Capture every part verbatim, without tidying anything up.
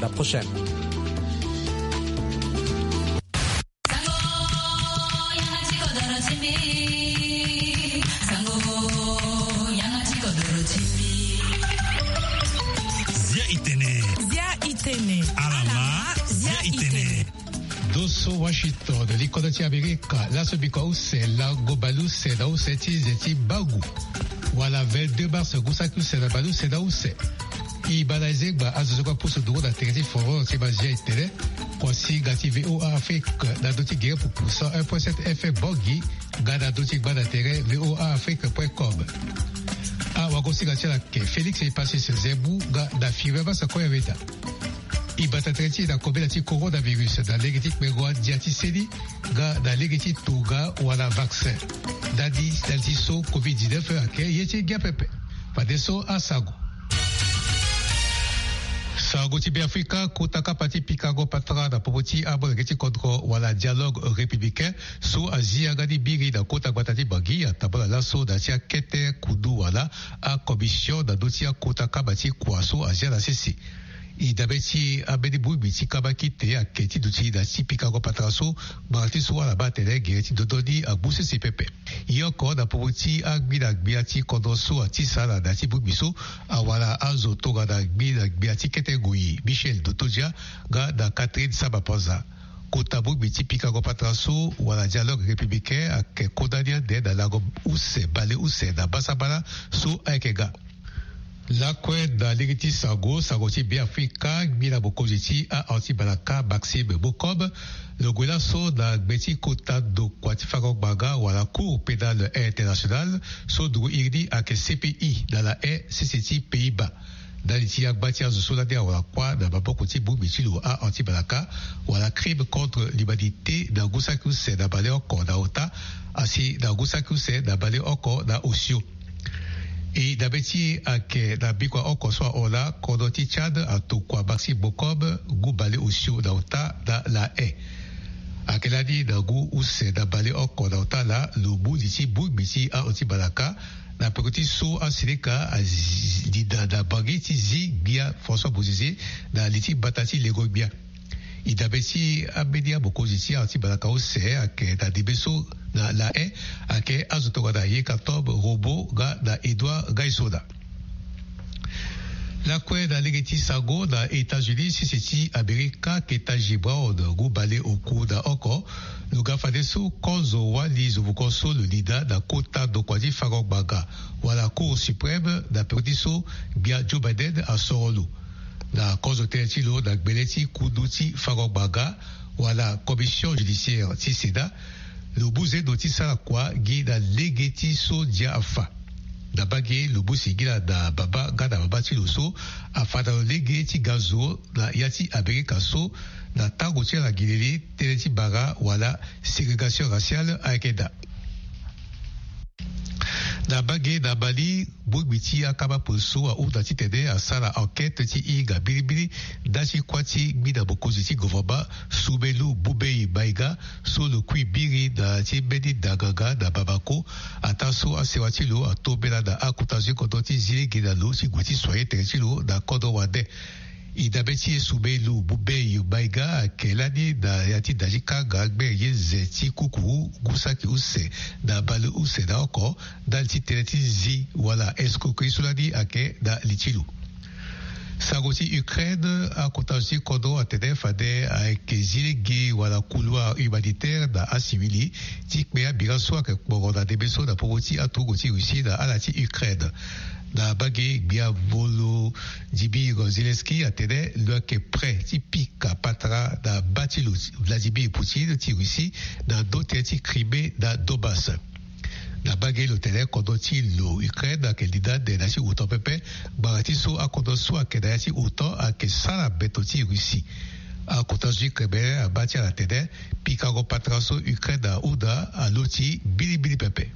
La prochaine. Zia itene. Zia itene. Alama. Zia itene. Doso Washington, likodo ti Amerika, laso biko use, lango baleuse na use ti nze ti mbangu. Wala vingt-deux mars, ngu saki use na baleuse na use. E baa na ezengba azo so kue apusu nduru na tere ti foro ti mazia itene. Kuasinga ti V O A Afrique na ndö ti gere pupu cent un point sept F M Bangui, nga na ndö ti gba na tere V O A Afrique point com. Awagosinga ti ala ayeke Félix Epasis Zembu nga na Firmin Massa Koyameda. E bata tere ti e na kobela ti coronavirus na lege ti kpengo andia ti seni nga na lege ti tonga wala vaccin. Ndali ndali ti so covid dix-neuf ayeke ye ti ngia pepe. Fadeso asango. Sango ti Beafrika, kota kapa ti pikango patara na popo ti amolenge ti kodro wala dialogue républicain so azi yanga ni biri na kota gbata ti Bangui atambula laso na ya ti akete kundu wala acommission na ndö ti akota kaba ti kua so azia na sese. E dabe ti ambeni bongbi ti kaba kite ayeke ti duti na ti pikango patara so, ngbanga ti so ala baa atene gere ti dodo ni agbu sese pepe. Ye oko na popo ti angbi na gbia ti kodro so atisa na da ti bongbi so, awara azo tongana ngbi na gbia ti kete ngoi Michel Dotodia nga na Catherine Samba Panza. Kota bongbi ti pikango patara so wala dialogue républicain ayeke kota ni ande na lango use baleuse na basabala so ayeke ga. Lakue na lege ti sango, sango ti Beafrika, ngbila mokonzi ti a-anti-balaka Maxime Bokob lo gue laso na gbe ti kota ndokua ti fango ngbanga wala Cour pénale internationale so nduru iri ni ayeke C P I na La Haye, sese ti Pays-Bas. Ndali ti agba ti azo so lani awara kuâ na maboko ti bongbi ti lo a-anti-balaka wala crime contre l'humanité na ngu saki use na baleoko na ota, asi na ngu saki use na baleoko na osio. E dabe ti e ayeke na bikua oko so ahon laa, kodro ti Tchad atokua Maxime Bokob ngu baleosio na ota na La Haye. Ayeke lani na ngu use na baleoko na ota laa lo mu li ti bongbi ti a-anti-balaka na peko ti so asilika alinda na Bangui ti zi gbia François Bozizé na li ti mbata ti lengo gbia. E dabe ti ambeni amokonzi ti a-anti-balaka use ayeke na ndembe so na La Haye ayeke azo tongana Yekatomb Rombaut nga na Edouard Ngaïssona. Lakue na lege ti sango, na États-Unis, sese ti Amerika, Ketanji Brown ngu baleoku na oko lo ga fadeso kozo wali zovoko so lo linda na kota ndokua ti fango ngbanga wala Cour suprême na peko ti so gbia Joe Biden asoro lo. Na kozo tënë ti lo na gbele ti kundu ti fango ngbanga wala commission judiciaire ti Sénat, lo mu zendo ti sara kua gi na lege ti so ndia afa. Na mbage lo mu singila na baba nga na mama ti lo so afa na lo lege ti ga zo na ya ti Amerika so na tango ti ala gi lele tënë ti bara wala ségrégation raciale ayeke daa. Na mbage na Mali, bongbi ti akama poliso ahunda titene asara enquête ti hinga mbirimbiri ndali ti kuâ ti ngbina mokonzi ti gouvernement Soumélou Boubèye Maïga so lo kui biri na ti mbeni ndanganga na Bamako, ataa so asewa ti lo atombela na akota zo ti kodro ti zi lege na lo ti gue ti soigner tere ti lo na kodro wande. E dabe ti e Soumélou Boubèye Maïga ayeke lani na ya ti da ti kanga gbere ye nze ti kukuru ngu saki use na baleuse na oko ndali ti tënë ti zi wala escroquerie so lani ayeke na li ti lo. Sango ti Ukraine, akota zo ti kodro atene fade ayeke zi lege wala couloir humanitaire na asivili ti kpe abira so ayeke kporo na ndembe so na popo ti aturugu ti Russie na ala ti Ukraine. Na mbage gbia Volodymyr Zelensky atene lo yeke prêt ti pika patara na mba ti lo Vladimir Poutine ti Russie na ndo tënë ti Crimée na Donbass. Na mbage lo tene kodro ti lo Ukraine ayeke linda ande na ya ti otan pepe, ngbanga ti so akodro so ayeke na ya ti otan ayeke sara beto ti Russie. Akota zo ti Kremlin abaa ti ala tene pikango patara so Ukraine ahunda aloti mbilimbili pepe.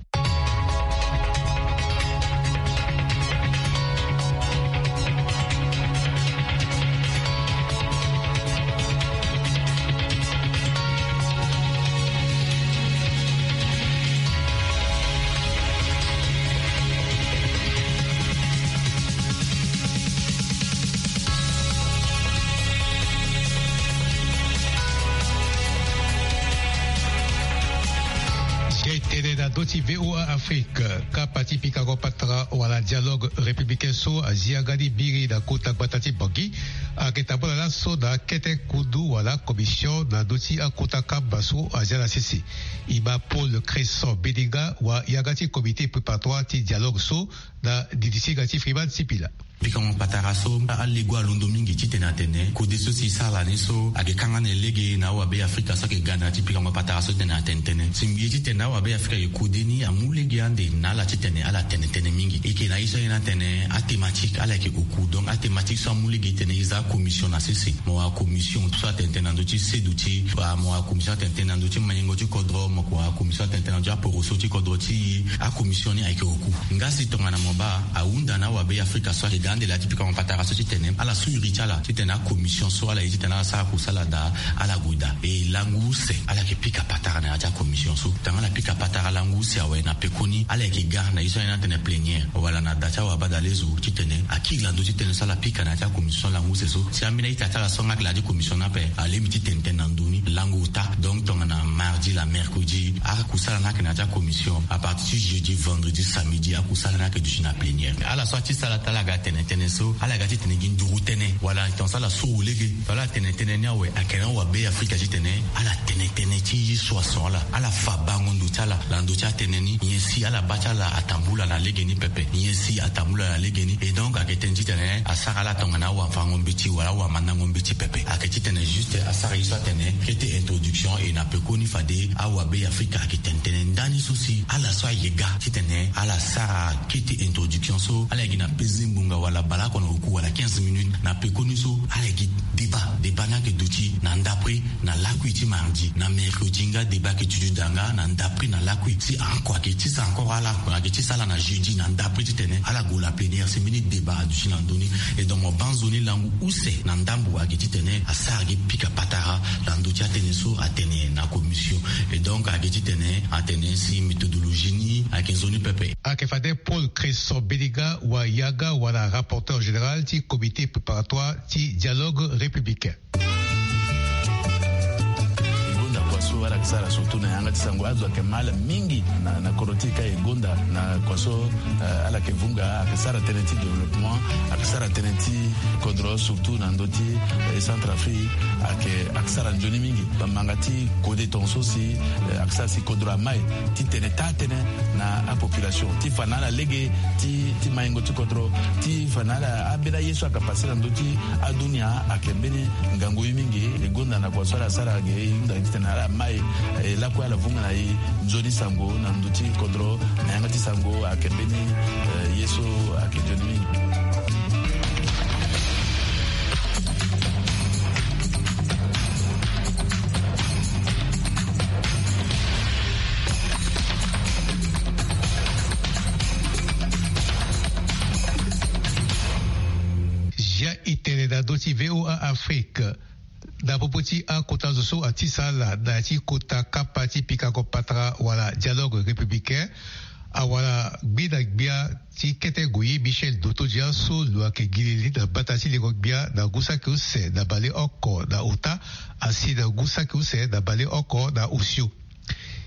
Ndö ti VOA Afrique, kapa ti pikango patara wala dialogue républicain so azi yanga ni biri na kota gbata ti Bangui, ayeke tambula laso na akete kundu wala commission na ndö ti akota kamba so azi ala sese. E ma Paul Cresson Beninga wa yanga ti comité préparatoire ti dialogue so na didi ti ga ti Freeman Sipila. Pikango patara so alego alondo mingi titene atene kode so si e sara ni so ayeke kanga na e lege na awabe Afrika so ayeke ga na ya ti pikango patara so titene atene tënë. Si mbi ye titene awabe Afrika ayeke kode ni amu lege ande na ala titene ala tene tënë mingi. E yeke na ye so ayen atene athématique ala yeke oku. Donc athématique so amu lege titene e za commission na sese. Mo wara commission so atene tënë na ndö ti seduti, mo wara commission atene tënë na ndö ti manyengo ti kodro, mo yeke wara commission atene tënë na ndö ti aporoso ti kodro ti e. Acommission ni ayeke oku. Nga si tongana mo baa ahunda na awabe Afrika so ayeke ga ande la ti pikango patara so titene ala su iri ti ala titene acommission so ala ye titene ala sara kusala daa, ala gue daa. E langu use ala yeke pika patara na ya ti acommission so. Tongana ala pika patara langu use awe na pekoni ala yeke ga na ye so ayen atene plénière wala na da ti awabadalezo titene akiri na ndö ti tënë so ala pika na ya ti acommission langu use so. Si ambeni a-ita ti ala so nga ayeke na ya ti commission ni ape alingbi ti tene tënë na ndö ni langu ota. Donc tongana mardi la mercredi akusala ni ayeke na ya ti acommission. À partir ti jeudi, vendredi, samedi akusala ni ayeke duti na plénière. Ala so ati sala ti ala ga tene tënë so ala ga titene gi nduru tënë wala tongaso ala soro lege. Tongana ala tene tënë ni awe ayeke na awabe Afrika titene ala tene tënë ti ye so ason ala, ala fa bango ndo ti ala na ndö ti atënë ni. Nyen si ala baa ti ala atambula na legeni pepe, nyen si atambula na legeni. Et donc ayeke tënë titene asara ala tongana awafango mbeti wala awamandango mbeti pepe. Ayeke titene juste asara ye so atene kete introduction. E na pekoni fade awabe Afrika ayeke tene tënë ndani so si ala so aye ga titene ala sara kete introduction so ala yeke na peze ngbonga wala baleoko na oku wala quinze minutes. Na pekoni so ala yeke débat, débat ni ayeke duti na ndapre na lakui ti mardi, na mercredi nga débat ayeke duti daa nga na ndapre na lakui. Si encore ayeke ti sara encore ala, ayeke ti sara ala na jeudi na ndapre titene ala gue na plénière si mbeni débat aduti na ndö ni. Et donc mo baa nzoni langu use na ndambo ayeke titene asara gi pika patara na ndö ti atënë so atene na commission. Et donc ayeke titene atene si méthodologie ni ayeke nzoni pepe. Ayeke fade Paul Cresson Beninga wa yanga wala rapporteur général ti comité préparatoire ti dialogue républicain. E gonda kua so ala yeke sara surtout na yanga ti sango azo ayeke mal mingi na, na kodro ti e ka e gonda na kua so, eh, ala yeke vunga ayeke sara tënë ti développement, ayeke sara tënë ti kodro surtout na ndö ti, eh, Centrafrique. Ayeke, ayeke sara nzoni mingi bambanga ti kode tongaso si, eh, ayeke sara si kodro amai ti tene taa tënë na apopulation ti fa na ala lege ti, ti maingo ti kodro ti fa na ala ambeni aye so ayeke pase na ndö ti adunia. Ayeke mbeni ngangu ye mingi. E gonda na kua so ala sara ge e hunda titene ala mai, eh, lakue ala vunga na e nzoni sango na ndö ti kodro na yanga ti sango ayeke mbeni, eh, ye so ayeke nzoni mingi. Zia e tene na ndö ti VOA Afrique. Na popo ti akota zo so atisa ala na ya ti kota kapa ti pikango patara wala dialogue républicain, awara gbi na gbia ti kete goyi Michel Dotodia so lo ayeke gi lili na mbata ti lengo gbia na ngu saki use na baleoko na ota, asi na ngu saki use na baleoko na osio.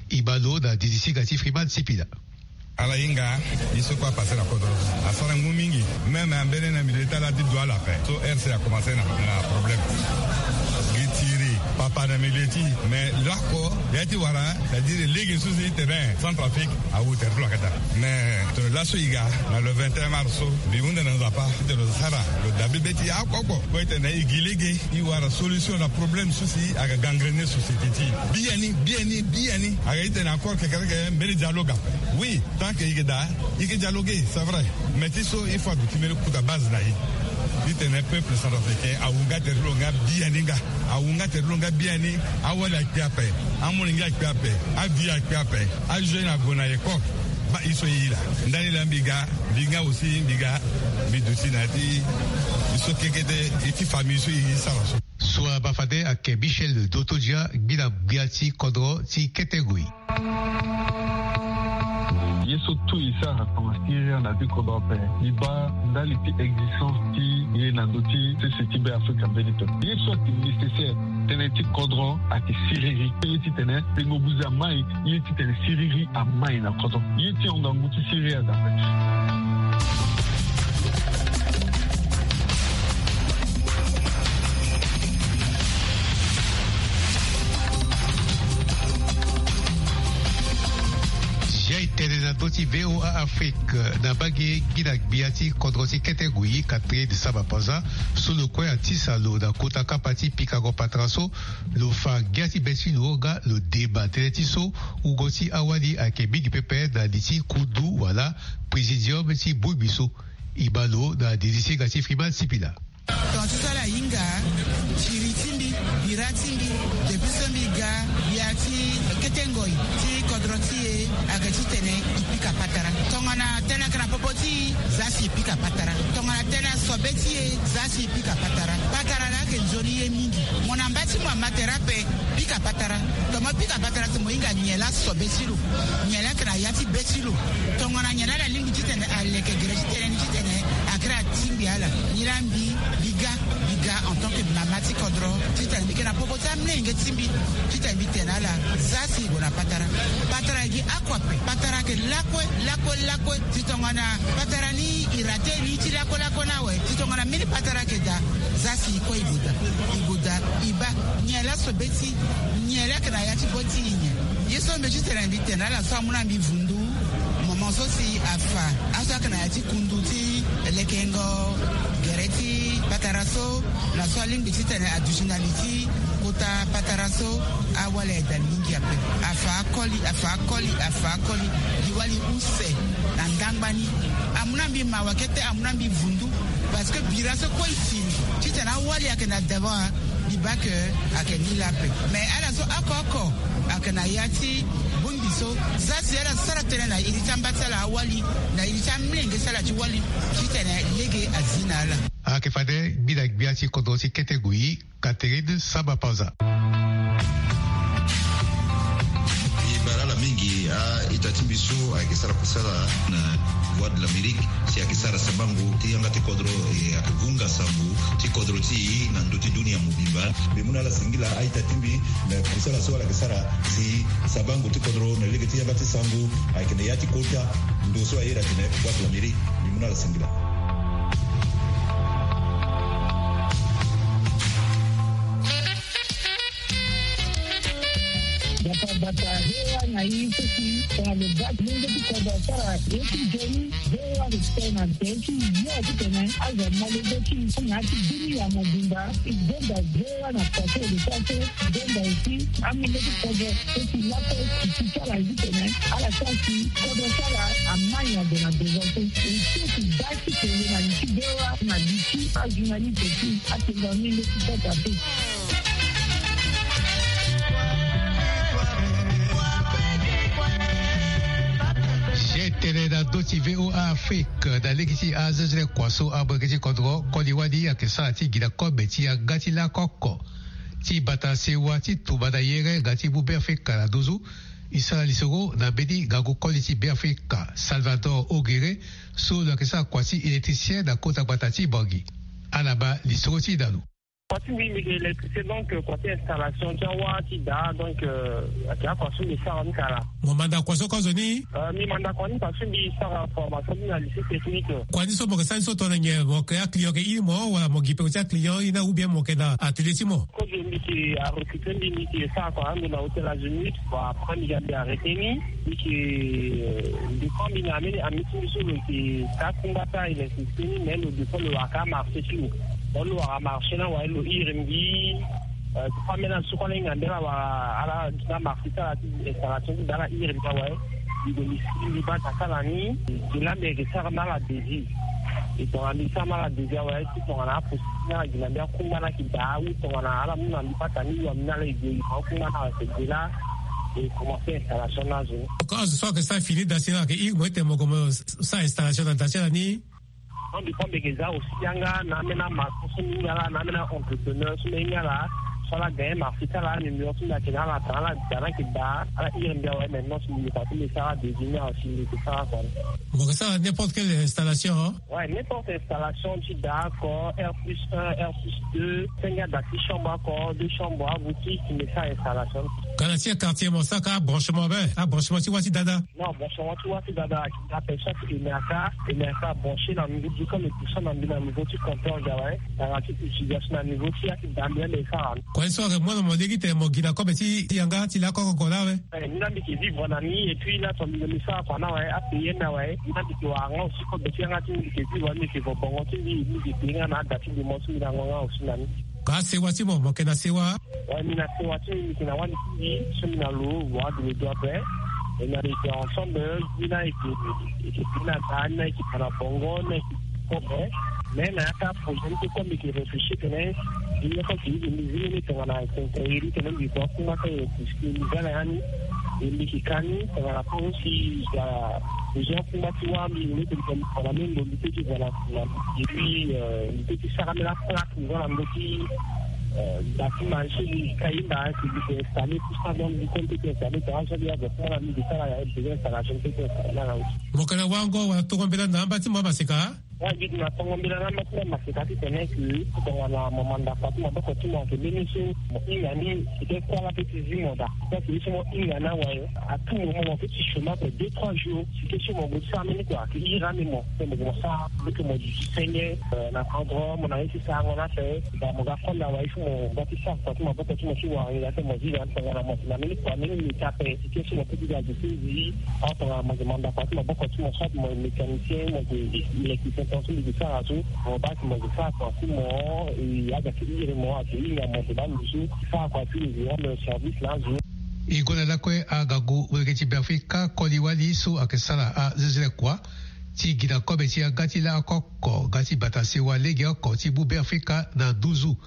E ma lo na didi ti ga ti Freeman Sipila. Ala hinga ye so kue apase na kodro asara ngu mingi. Même ambeni na milieu ti ala ti dua ala ape so R C a commencé na, na problème. Gi tiri papa na milieu ti e. Mais lako ya ti wara, c'est-à-dire lege so si tene Centrafrique awu tere ti lo ayeke daa. Mais tene laso e ga na le vingt et un mars so, mbi hunda na Nzapa titene lo sara, lo dabe be ti e oko oko. Kue tene e gi lege e wara solution na problème so si ayeke gangrener société ti e. Biani, biani, biani. Ayeke titene encore kekereke mbeni dialogue ape. Oui, tant que e yeke daa, e yeke dialoguer, c'est vrai. Mais ti so il faut aduti mbeni kota base na e. Titene peuple centrafricain awu nga tere ti lo nga biani nga. Awu nga tere ti lo nga biani. Awali akpe ape. Amolenge akpe ape. Avieux akpe ape. Ajeune ague na école. Baa e so e ye laa. Ndani laa mbi ga, mbi nga aussi mbi ga, mbi duti na ya ti e so kekete, e ti famille so e sara so. So abaa fade ayeke Michel Dotodia, gbi na gbia ti kodro ti kete goyi. Ye so tout e sara tongana siriri na ti kodro ape, e baa ndali ti existence ti ye na ndö ti sese ti Beafrika mbeni pepe. Ye so ayeke nécessaire, tënë ti kodro ayeke siriri. Ye titene tengo buze amai, ye titene siriri amai na kodro. Ye ti hon ngangu ti siriri aza ape. Zia e tene na ndö ti V O A Afrique, na mbage gi na gbia ti kodro ti kete Guyi, Catherine Samba Panza, so lo kue atisa lo na kota kapa ti pikango patara so, lo fa ngia ti be ti lo nga lo deba tënë ti so, wungo ti awali ayeke mingi pepe na li ti kundu wala présidium ti bongbi so. E baa lo na didi ti hinga ti Freeman Sipila. Tonga ti so ala hinga, siriri ti mbi, bira ti mbi, depuis so mbi ga gbia ti kete ngoi ti kodro ti e, ayeke titene e pika patara. Tongana tënë ayeke na popo ti e, za si e pika patara. Tongana tënë asobe ti e, za si e pika patara. Patara laa ayeke nzoni ye mingi. Mo na mba ti mo ama tere ape, pika patara. Tongana mo pika patara si mo hinga nyen laa asobe ti lo, nyen laa ayeke na ya ti be ti lo. Tongana nyen laa ala lingbi titene aleke gere ti tënë ni titene akiri atingbi ala. Nilaa mbi, mbi ga, mbi ga en tant que mama ti kodro, titene mbi yeke na popo ti amolenge ti mbi, titene mbi tene na ala, za si e gue na patara. Patara e gi oko ape. Patara ayeke lakue, lakue, lakue. Ti tongana patara ni e rate ni ti lakue lakue ni awe, ti tongana mbeni patara ayeke daa, za si e kue e gue daa. E gue daa, e baa nyen laa asobe ti e, nyen laa ayeke na ya ti be ti e nyen. Ye so mbi titene mbi tene na ala so amu na mbi vundu, moment so si afa aso ayeke na ya ti kundu ti lekengo gere ti patara so, na so alingbi titene aduti na li ti kota patara so, awali aye daa mingi ape. Afa akoli, afa akoli, afa akoli. Gi wali use na ndangba ni. Amu na mbi mawa kete, amu na mbi vundu. Parce que bira so kue e siri titene awali ayeke na devant, mbi baa ke ayeke ni laa ape. Mais ala so oko oko ayeke na ya ti bongbi so, za si ala sara tënë na iri ti amba ti ala awali, na iri ti amolenge ti ala ti wali, titene lege azi na ala. Ayeke fade mbi na gbia ti kodro ti kete Guyi, Catherine Samba Panza. E baa ala mingi, a-ita ti mbi so ayeke sara kusala na Voix de l'Amérique, si ayeke sara sabango ti yanga ti kodro, e, ayeke vunga sango ti kodro ti e na ndö ti dunia mobimba. Mbi mu na ala singila a-ita ti mbi na kusala so ala yeke sara si sabango ti kodro na lege ti yanga ti sango ayeke na ya ti kota ndo so a iri atene Voix de l'Amérique. Mbi mu na ala singila. Bata bata, hewa na i seki, tongana lo baa ti lenge ti kodro asara ye ti nzoni, hewa respect na nzoni ti yo titene azo na lenge ti i na ya ti dunia mobimba. I gonda hewa na kua so lo sara so, i gonda aussi amolenge ti kodro so si lakue i ti sara titene ala sara si kodro ti ala amai na gue na devant so. I seki baa ti kele na li ti hewa na li ti ajournaliste ti atenda ni leti kota te. Zia e tene na ndö ti V O A Afrique, na lege ti azezele kua so amolenge ti kodro koli wani ayeke sara ti gi na kobe ti yanga ti lakoko ti bata sewa ti tumba na yere nga ti mu Beafrika na nduzu. E sara lisoro na mbeni ngangu koli ti Beafrika, Salvador Ogere, so lo yeke sara kua ti électricien na kota gbata ti Bangui. Ala baa lisoro ti e na lo. Kua ti mbi, mbi yeke électricien, donc, euh, kua ti installation ti awa ti daa, donc, euh, ayeke akua so mbi sara ni kala. Mo manda kua so kozo ni? Euh, mbi manda kua ni parce que mbi sara formation ni na lycée technique. Kua ni so mo yeke sara ni so tongana nyen? Mo yeke aclient, yeke iri mo wala mo gi peko ti aclient, ina, ou bien mo yeke na atelier ti mo? Kozo mbi yeke arecruter mbi, mbi yeke sara kua ando na hôtel Azimut. Bon, après mbi ga mbi arrêter ni. Mbi yeke, euh, dépend mbi na ambeni ami ti mbi so lo yeke taa kungba taa électricité ni, mais lo dépend lo wara ka marché ti lo. Donc lo wara marché ni awe, lo iri mbi, euh, ti fa ambeni azo so kue ala hinga mbi ala wara ala duti na marché ti ala ti installation ti daa, ala iri mbi awe. Mbi gue mbi sigi mbi baa ta sala ni. Gi laa mbi yeke sara na ala devis. E tongana mbi sara na ala devis awe, ti tongana aposi ni ala gi na mbi akungba ni ayeke daa, ou tongana ala mu na mbi pata ni, wa mbi na ala e gue e fa akungba ni ayeke gue laa. E commencer installation ni azo. Oko azo so ayeke sara fini da si ni ayeke iri mo ete mo gue mo sara installation na da ti ala ni. Donc, dépend mbi yeke za aussi yanga na ambeni amaçon so mbi hinga laa, na ambeni entrepreneur so mbi hinga laa. So ala gagné marché ti ala, numéro ti mbi ayeke na ala, atanga ala da, na ayeke da ala iri mbi awe. Maintenant si mbi luka ti mbi sara désigner awe, si mbi yeke sara kua ni. Mo yeke sara n'importe quelle installation, hein? Ouais, n'importe installation ti da oko, R plus un, R plus deux, senge ada ti chambre oko, deux chambres, aboutique, mbi sara installation. Ka na ti quartier mo sara ka abranchement be, abranchement ti wâ ti dada. Non, branchement ti wâ ti dada, ape chaque E M R K, E M R K branché na niveau du, comme e puissant na mbi na niveau ti compteur awe, tongana ti utilisation na niveau ti ya ti da mbi ande sara. Kua ye so ayeke mu na mo lege tene mo gi na kobe ti yanga ti lakue oko na awe. Eh, ni la mbi yeke vivre na ni, et puis la tongana mbi sara kua na awe, apayer ni awe, ni la mbi yeke wara nga aussi kobe ti yanga ti mbi yeke vivre, mbi yeke vo bongo ti mbi, mbi yeke payer nga na ada ti mbi, mo so mbi na ngonga aussi na ni. Ka sewa ti mo, mo yeke na sewa? Ouais, mbi na sewa ti mbi, mbi yeke na wali ti mbi so mbi na lo, wa dolo do ape. Et na mbi yeke ensemble, ni la yeke, yeke payer na da, ni la yeke fa na bongo, ni la yeke kobe. Mais na ya ti aprojet ni so, comme mbi yeke réfléchir tene mbi yeke, mbi zi ni tongana quincaillerie tene mbi yeke akungba ti aye, puisque mbi za na ya ni. E mbi yeke ka ni tongana, pour si ya besoin akungba ti wâ, mbi yeke mbi tene tongana même mbi peut ti za na, na, et puis, euh, mbi peut ti sara même aplaque, mbi za na ndö ti, euh, da ti marché, mbi yeke ka yinda si mbi yeke installer tout ça, donc mbi peut ti installer tongana so mbi azo akungba na mbi, mbi sara ya besoin installation, mbi peut ti installer na. Mo yeke na wango wala tongo mbela na amba ti mo amaseka? Wa gi na tongo mbela na amba ti mo amaseka titene ke tongana mo manda kua ti maboko ti mo ayeke mbeni so mo hinga ni, si ke kuâ la peut ti zi mo daa. Donc ye so mo hinga ni awe, à tout moment mo peut ti chômer ape deux trois jours. Si ke so mo gue ti sara mbeni kua ayeke iri ande mo, pe mo gue mo sara lo ti mo duti senge, euh, na pardon mo na ye ti sarango ni ape. Daa mo ga konda awe, il faut mo ga ti sara kua ti maboko ti mo ti wara nginza ti mo zi daa tongana mo si na mbeni kua mbeni mita ape. Si ke so mo peut ti ga zi ti zi. Or tongana mo yeke manda kua ti maboko ti mo, soit mo yeke mécanicien, mo yeke électricien, tongaso mbi yeke sara so, mo baa si mo yeke sara kua ti mo, e, azo ayeke iri mo, ayeke hinga mo, mo yeke baa lo so sara kua ti lo, e rendre service na azo. E gue na lakue angangu molenge ti Beafrika Koli Wali so ayeke sara azezele kua ti gi na kobe ti yanga ti laoko oko nga ti bata sewa lege oko ti mu Beafrika na nduzu.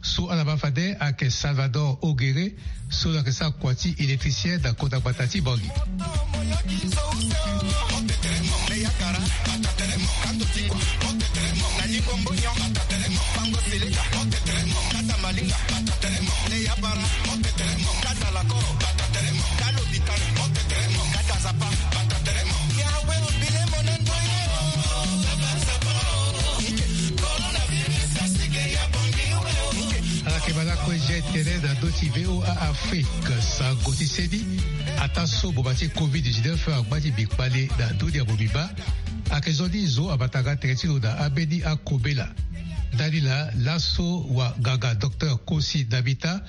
So ala ma fade ayeke Salvador Ogere, so lo yeke sara kua ti électricien na konda gbata ti Bangui. Ala yeke baa lakue, e tene na ndö ti V O A Afrique, sango ti seni, ataa so boma ti covid dix-neuf angba ti mbi kpale na ndö ni ya mobimba. Ayeke zo ni zo abata nga tere ti lo na ambeni akobela. Ndani laa, laso wanganga docteur Kosi Namita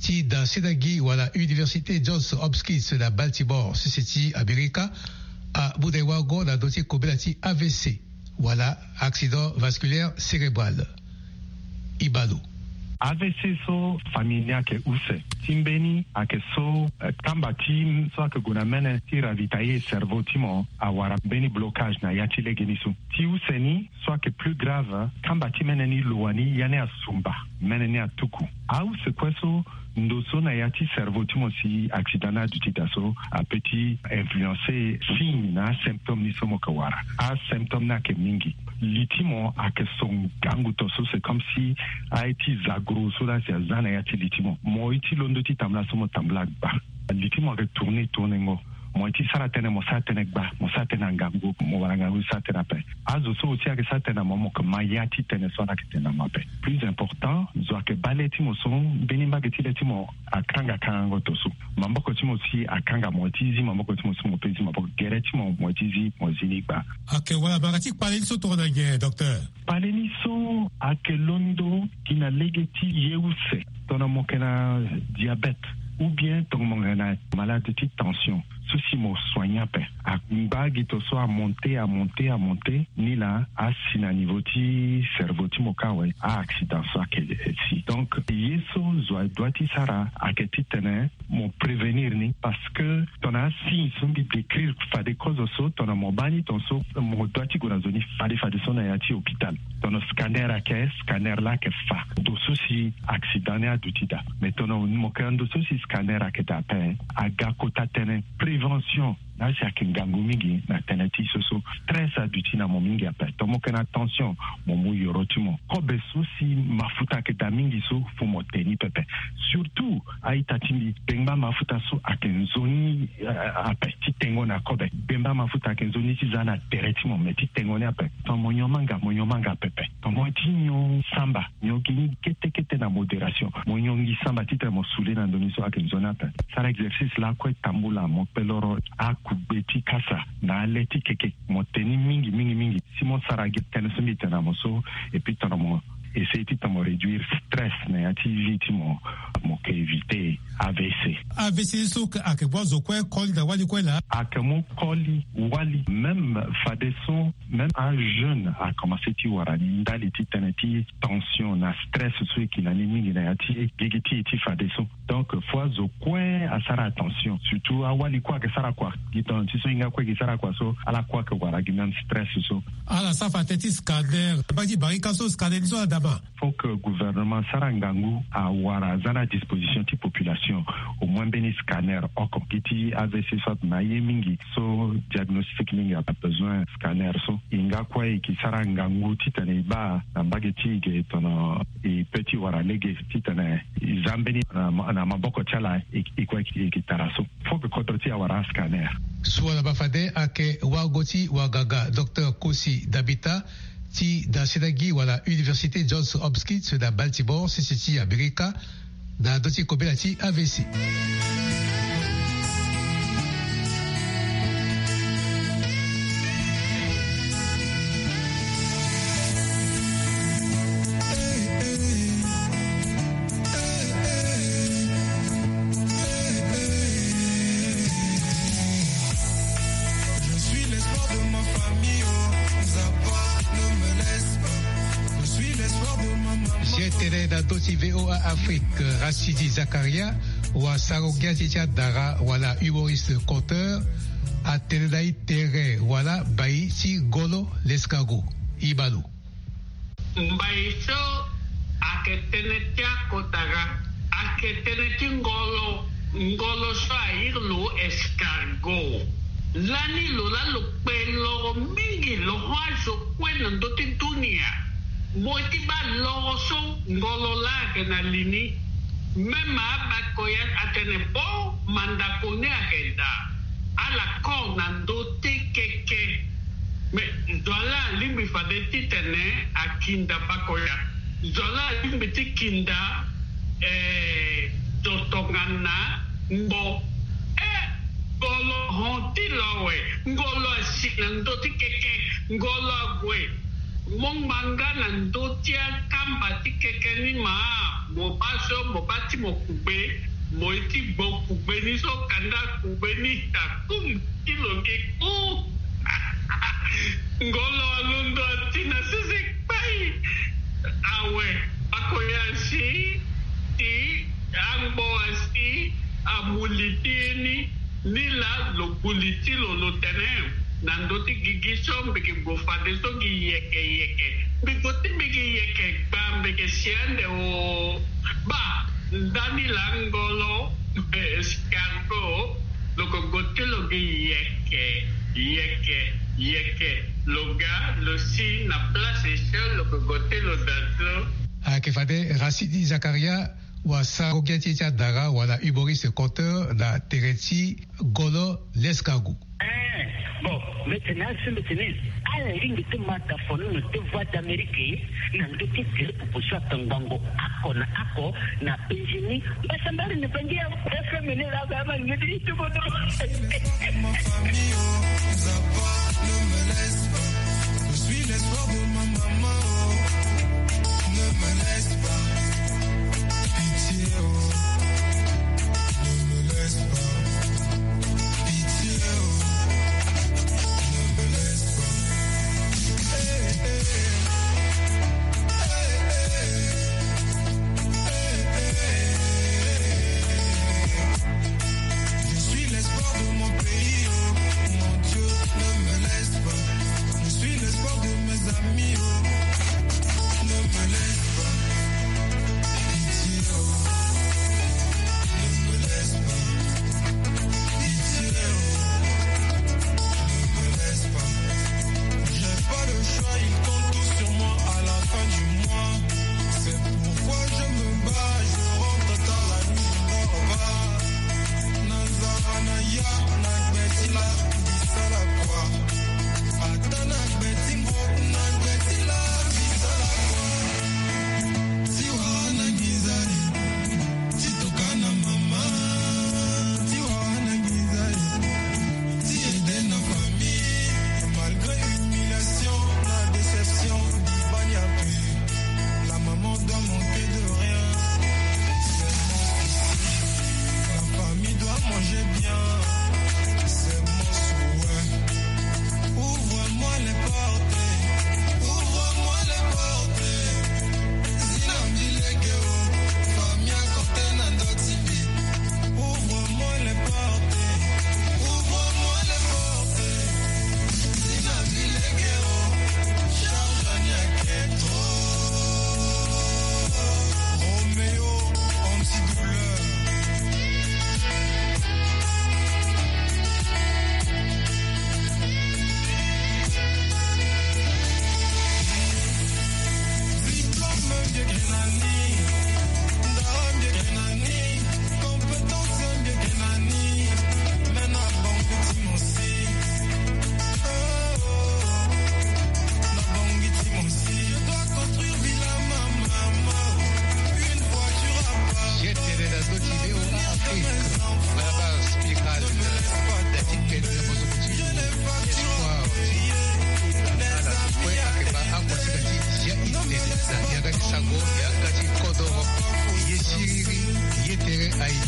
ti da senagi wala Université Johns Hopkins na Baltimore, sese ti Amerika, amu na e wango na ndö ti kobela ti A V C, wala accident vasculaire cérébral. Ibalo. A V C so famille ni ayeke use. Ti mbeni ayeke so, eh, kamba ti so ayeke gue na mene ti ravitailler cerveau ti mo awara mbeni blocage na ya ti legeni so. Ti use ni so ayeke plus grave, kamba ti mene ni lo wani ya ni asumba, mene ni atuku. Ause kue so, ndo so na ya ti cerveau ti mo si accident ni aduti daa so, apeut ti influencer signe na asymptôme ni so mo yeke wara. Asymptôme ni ayeke mingi. Li ti mo ayeke so ngangu to so, c'est comme si aye ti zagro so laa si aza na ya ti li ti mo. Mo ye ti londo ti tambula so mo tambula gba. Li ti mo ayeke tourner tournengo. Mo ye ti sara tënë, mo sara tënë gba, mo sara tënë na ngangu, mo wara ngangu ti sara tënë ape. Azo so aussi ayeke sara tënë na mo, mo yeke ma ya ti tënë so ala yeke tene na mo ape. Plus important, zo ayeke baa le ti mo so mbeni mbage ti le ti mo akanga kangango to so. Maboko ti mo si akanga, mo ye ti zi maboko ti mo so mo peut zi maboko. Gere ti mo, mo ye ti zi, mo zi ni gba. Ayeke wala mo yeke ti kpale ni so tongana nyen, docteur? Kpale ni so ayeke londo gi na lege ti ye use. Tongana mo yeke na diabète, ou bien tongana mo yeke na malade ti tension, so si mo soigner ape, angba gi to so amonte, amonte, amonte, ni laa asi na niveau ti cerveau ti mo kâ awe, a-accident so ayeke si. Donc ye so zo adoit ti sara ayeke titene mo prévenir ni, parce que tongana asigne so mbi décrire fade kozo so, tongana mo baa ni, tongaso mo doit ti gue na zo ni fade fade so na ya ti hôpital. Tongana scanner ayeke, scanner laa ayeke fa ndo so si accident ni aduti daa. Mais tongana mo yeke na ndo so si scanner ayeke daa ape, aga kota tënë, prévenir Tension na asi ayeke ngangu mingi na tënë ti so so stress aduti na mo mingi ape. Tongana mo yeke na tension, mo mu yoro ti mo. Kobe so si mafuta ayeke daa mingi so, fo mo te ni pepe. Surtout a-ita ti mbi, bengba mafuta so ayeke nzoni, eh, ape ti tengo na kobe. Bengba mafuta ayeke nzoni ti za na tere ti mo, me ti tengo ni ape. Tongana mo nyon manga, mo nyon manga pepe. Tongana mo ye ti nyon samba, nyon gi ni kete kete na modération. Mo nyon gi samba titene mo sule na ndoni so ayeke nzoni ape. Sara exercice lakue tambula, mo kpe loro akugbe ti kasa na ale ti keke. Mo te ni mingi mingi mingi. Si mo sara gi tënë so mbi tene na mo so, et puis tongana mo essayer titene mo réduire stress na ya ti vie ti mo, mo ke éviter A V C. A V C so ayeke, ayeke mu azo kue koli na wali kue laa? Ayeke mu koli wali, même fadeso, même ajeune akomanse ti wara ni ndali ti tënë ti tension na stress so e yeke na ni mingi na ya ti gigi ti e ti fadeso. Donc fo azo kue asara attention, surtout awali kue ayeke sara kua. Gi tongana ti so e hinga kue e ke sara kua so, ala kue ayeke wara gi même stress so. Ala sara fa atene ti scanner, baa ti barika so scanner ni so ala daa ma? Faut que gouvernement asara ngangu awara aza na disposition ti population au moins mbeni scanner oko. Gi ti A V C so atene na aye mingi so diagnostic mingi abesoin scanner so. E hinga kue e ke sara ngangu titene e baa na mbage ti e ge tongana e peut ti wara lege titene e za mbeni na ma-, na maboko ti ala e, e kue e ke tara so. Faut que kodro ti e awara ascanner. So ala baa fade ayeke wago ti waganga docteur Kosi Dabita ti dasida gi wala Université Johns Hopkins na Baltimore, sese ti Amerika, na ndö ti kobela ti A V C. Ye tene na ndö ti V O A Afrique, Rachidi Zakaria, wasara-ngia ti ti adara wala humoriste conteur, atene na e tere wala bai ti ngolo l'escargot. E ma lo. Mbai so ayeke tënë ti akota ga, ayeke tënë ti ngolo. Ngolo so airi lo escargot. Lani lo laa lo kpe loro mingi, lo hon azo kue na ndö ti dunia. Mo ye ti baa loro so ngolo laa ayeke na li ni. Même abakoya atene bo mandako ni ayeke daa. Ala kor na ndö ti keke. Mais zo laa alingbi fade titene akinda bakoya. Zo laa alingbi ti kinda, eh, zo tongana ngbo. Eh, ngolo hon ti lo awe. Ngolo asi na ndö ti keke. Ngolo ague. Mo ngbanga na ndö ti akamba ti keke ni ma. Mo baa so, mo baa ti mo kugbe. Mo ye ti gbo kugbe ni so, kanda kugbe ni akum ti lo nge ku. Ngolo alondo ati na sese kpai. Awe, akoya asi ti angbo asi amu li ti ye ni. Ni laa lo gu li ti lo lo tene na ndö ti gigi so mbi ke gue fadeso gi yeke yeke. Mbi gue ti mbi gi yeke gbaa mbi ke si ande o. Baa ndani laa ngolo escargot lo ke gue ti lo gi yeke yeke yeke. Lo ga lo si na place so lo ke gue ti lo daa so. Ayeke fade Rachidi Zakaria, wasara-ngia ti e ti adara wala humoriste conteur na tere ti ngolo l'escargot. Eh, bon, mbi tene asi mbi tene ala lingbi ti ma daa fo ni na ndö ti Voix d'Amérique na ndö ti tere popo so atongbango oko na oko na penzi ni. Mbasambari ni bangi ya F M ni laa ba ma ni ti ti kodro. Ma famille, oh, Nzapa, ne me laisse pas. Je suis l'espoir de ma maman, oh. Ne me laisse pas. Pitié, oh. Ne me laisse pas. Pitié, oh. Ne me laisse pas. Hey, hey. Hey, hey. Hey, hey. Je suis l'espoir de mon pays, oh. Mon Dieu, ne me laisse pas. Je suis l'espoir de mes amis, oh. Ne me laisse pas.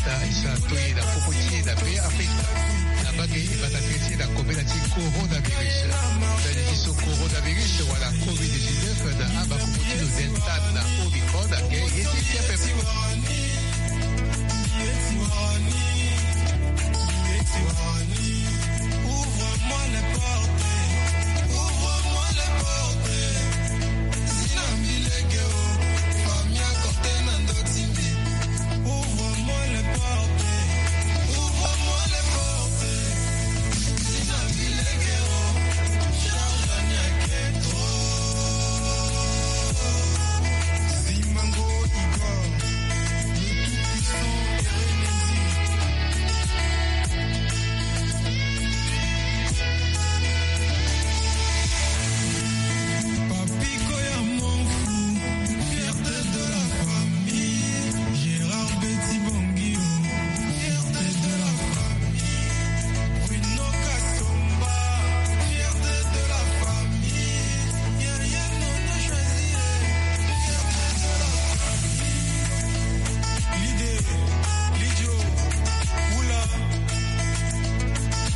Isa toye na popo ti e na be Afrika. Na bage e bata tere ti e na kobela ti coronavirus. Mbeni ti so coronavirus wala covid dix-neuf na aba kopo ti lo delta na omicron ake ye ti ti ape. Ouvre-moi les portes. Zina mbi lege o. Famille à côté na ndo ti mbi. Ouvre-moi les portes. Ouvre-moi les portes. Zina mbi lege o. Charge aniake trop. Simango Igor. Le tout-puissant Erenendi. Papi Koya Monfou, fierté de la famille. Gérard Betty Bangio, fierté de la famille. Bruno Kasomba, fierté de la famille. Yaya Nono Chazier, fierté de la famille. Lidé, Lidjo, Oula,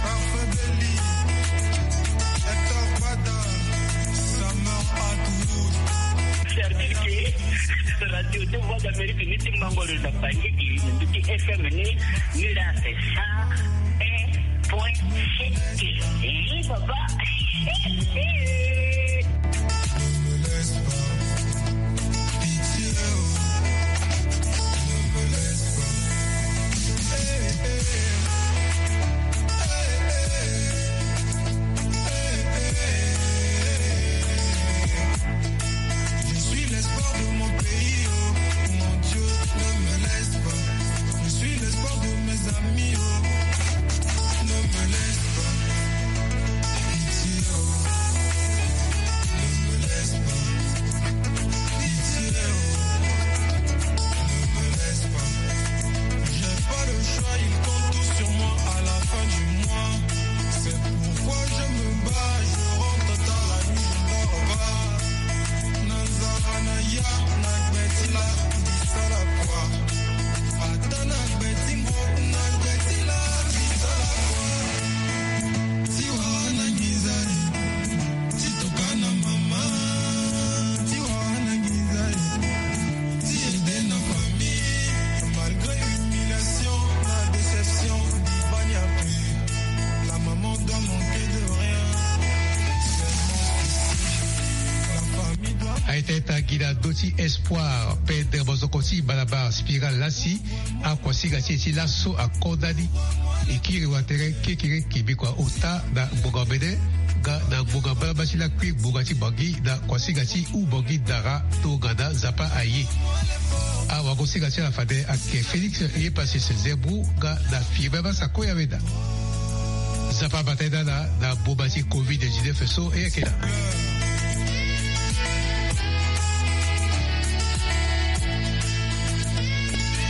Parfait Belly, Hector Bada, Summer Atwood. Service ke Radio de Voix d'Amérique ni ti mango lo na Bangui, ni ti F M ni, ni la c'est cent un point sept. Eh, papa. Je suis l'espoir de mon pays, oh, mon Dieu, ne me laisse pas. Je suis l'espoir de mes amis, oh, ne me laisse pas. Pitié, oh, ne me laisse pas. Pitié, oh, ne me laisse pas. J'ai pas le choix, ils comptent tous sur moi à la fin du mois. C'est pourquoi je me bats, je rentre tard la nuit, je dors pas. Na nzara na ya, na gbeti la, ndisala kwa. Ata na gbeti ngo, na gbeti la, ndisala kwa. Ti wara na nginza e, ti toka na mama. Ti wara na nginza e, ti aider na famille. Malgré humiliation, la déception, Dibani a pris. La maman doit manquer de rien. Seulement ici, la famille doit. Aye teta gi na ndö ti Espoir, Pedre Bozoko ti Malabar, Spiral Lassi, akuasinga ti e ti laso akonda ni. E kiri watere kekereke bikua ota na ngbonga mene nga na ngbonga mbalambala ti lakui ngbonga ti Bangui na kuasinga ti Houphouët-Boigny Dara tongana Nzapa aye. Awagosinga ti ala fade ayeke Félix Eyepasse Zerbrou nga na Firmin Massako Yaweda. Nzapa abata ye na ala na boma ti covid dix-neuf so e yeke na.